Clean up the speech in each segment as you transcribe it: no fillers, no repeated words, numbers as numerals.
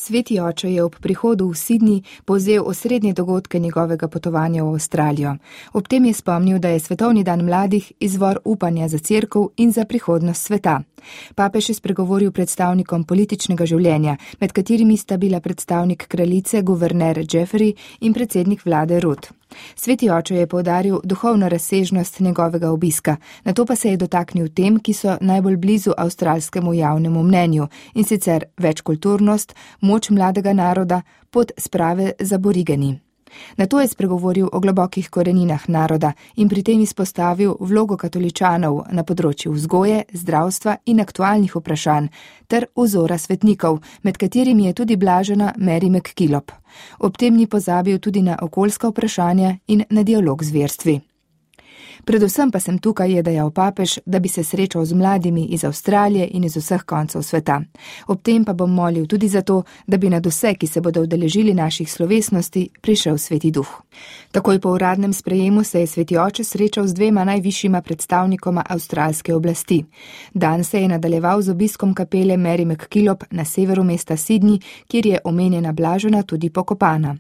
Sveti oče je ob prihodu v Sydney povzel osrednje dogodke njegovega potovanja v Avstralijo. Ob tem je spomnil, da je Svetovni dan mladih izvor upanja za cerkev in za prihodnost sveta. Papež je spregovoril predstavnikom političnega življenja, med katerimi sta bila predstavnik kraljice guverner Jeffrey in predsednik vlade Rudd. Sveti oče je poudaril duhovno razsežnost njegovega obiska, nato pa se je dotaknil tem, ki so najbolj blizu avstralskemu javnemu mnenju, in sicer večkulturnost, moč mladega naroda, pot sprave z aborigeni. Nato je spregovoril o globokih koreninah naroda in pri tem izpostavil vlogo katoličanov na področju vzgoje, zdravstva in aktualnih vprašanj ter vzora svetnikov, med katerimi je tudi blažena Mary MacKillop. Ob tem ni pozabil tudi na okoljska vprašanja in na dialog z verstvi. Predvsem pa sem tukaj, je dejal papež, da bi se srečal z mladimi iz Avstralije in iz vseh koncev sveta. Ob tem pa bom molil tudi za to, da bi nad vse, ki se bodo udeležili naših slovesnosti, prišel Sveti Duh. Takoj po uradnem sprejemu se je Sveti oče srečal z dvema najvišjima predstavnikoma avstralske oblasti. Dan se je nadaljeval z obiskom kapele Mary MacKillop na severu mesta Sydney, kjer je omenjena blažena tudi pokopana.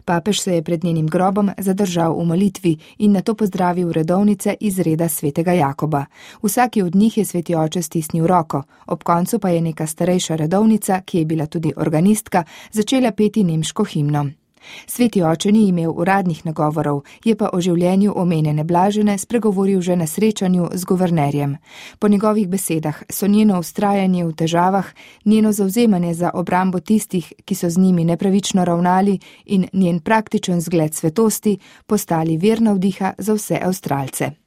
Papež se je pred njenim grobom zadržal v molitvi in nato pozdravil redovnice iz reda svetega Jakoba. Vsaki od njih je Sveti oče stisnil roko, ob koncu pa je neka starejša redovnica, ki je bila tudi organistka, začela peti nemško himno. Sveti oče ni imel uradnih nagovorov, je pa o življenju omenjene blažene spregovoril že na srečanju z guvernerjem. Po njegovih besedah so njeno vztrajanje v težavah, njeno zavzemanje za obrambo tistih, ki so z njimi nepravično ravnali, in njen praktičen zgled svetosti postali vir navdiha za vse Avstralce.